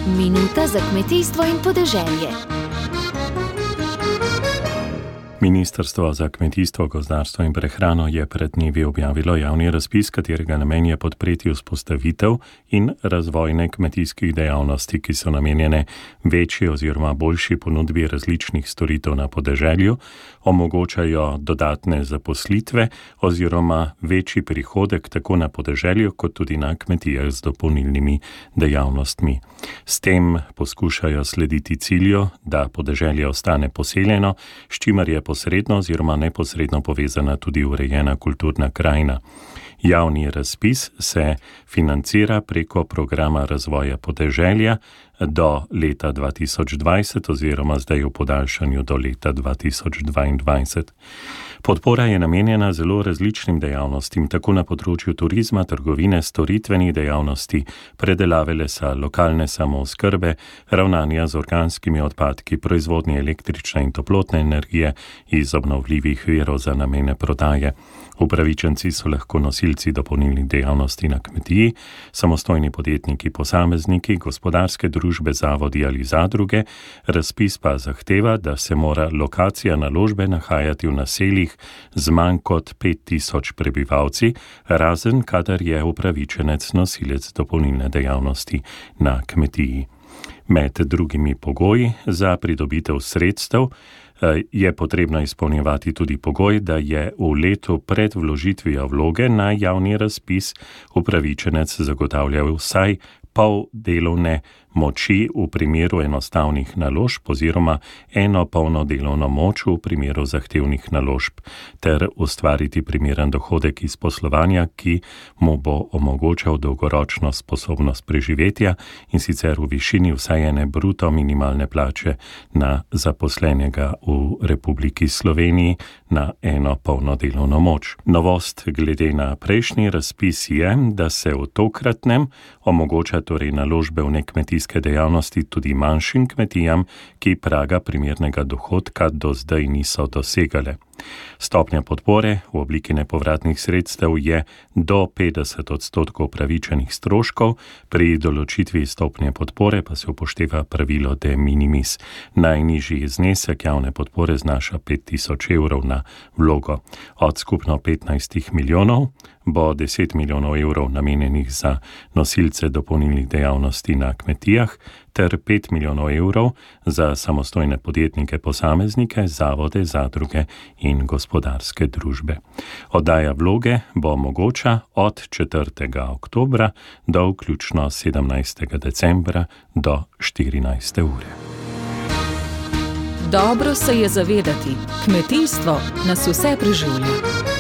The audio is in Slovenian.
Minuta za kmetijstvo in podeželje. Ministrstvo za kmetijstvo, gozdarstvo in prehrano je pred dnevi objavilo javni razpis, katerega namen je podpreti vzpostavitev in razvojne kmetijskih dejavnosti, ki so namenjene večji oziroma boljši ponudbi različnih storitev na podeželju, omogočajo dodatne zaposlitve oziroma večji prihodek tako na podeželju kot tudi na kmetijah z dopolnilnimi dejavnostmi. S tem poskušajo slediti cilju, da podeželje ostane poseljeno, s čimer je posredno oziroma neposredno povezana tudi urejena kulturna krajina. Javni razpis se financira preko programa razvoja podeželja do leta 2020 oziroma zdaj v podaljšanju do leta 2022. Podpora je namenjena zelo različnim dejavnostim, tako na področju turizma, trgovine, storitvenih dejavnosti, predelave lesa, lokalne samooskrbe, ravnanja z organskimi odpadki, proizvodnje električne in toplotne energije iz obnovljivih virov za namene prodaje. Upravičenci so lahko nosilci dopolnilnih dejavnosti na kmetiji, samostojni podjetniki, posamezniki, gospodarske družbe, zavodi ali zadruge. Razpis pa zahteva, da se mora lokacija naložbe nahajati v naseljih z manj kot 5000 prebivalci, razen kadar je upravičenec nosilec dopolnilne dejavnosti na kmetiji. Med drugimi pogoji za pridobitev sredstev je potrebno izpolnjevati tudi pogoj, da je v letu pred vložitvijo vloge na javni razpis upravičenec zagotavljal vsaj pol delovne moči v primeru enostavnih naložb oziroma eno polno delovno moč v primeru zahtevnih naložb ter ustvariti primeren dohodek iz poslovanja, ki mu bo omogočal dolgoročno sposobnost preživetja in sicer v višini vsaj ene bruto minimalne plače na zaposlenega v Republiki Sloveniji na eno polno delovno moč. Novost glede na prejšnji razpis je, da se v tokratnem omogoča torej naložbe v nekmetijske dejavnosti tudi manjšim kmetijam, ki praga primernega dohodka do zdaj niso dosegale. Stopnja podpore v obliki nepovratnih sredstev je do 50% upravičenih stroškov, pri določitvi stopnje podpore pa se upošteva pravilo de minimis. Najnižji znesek javne podpore znaša 5000 evrov na vlogo. Od skupno 15 milijonov bo 10 milijonov evrov namenjenih za nosilce dopolnilnih dejavnosti na kmetijah ter 5 milijonov evrov za samostojne podjetnike, posameznike, zavode, zadruge in gospodarske družbe. Oddaja vloge bo mogoča od 4. oktobra do vključno 17. decembra do 14. ure. Dobro se je zavedati, kmetijstvo nas vse preživlja.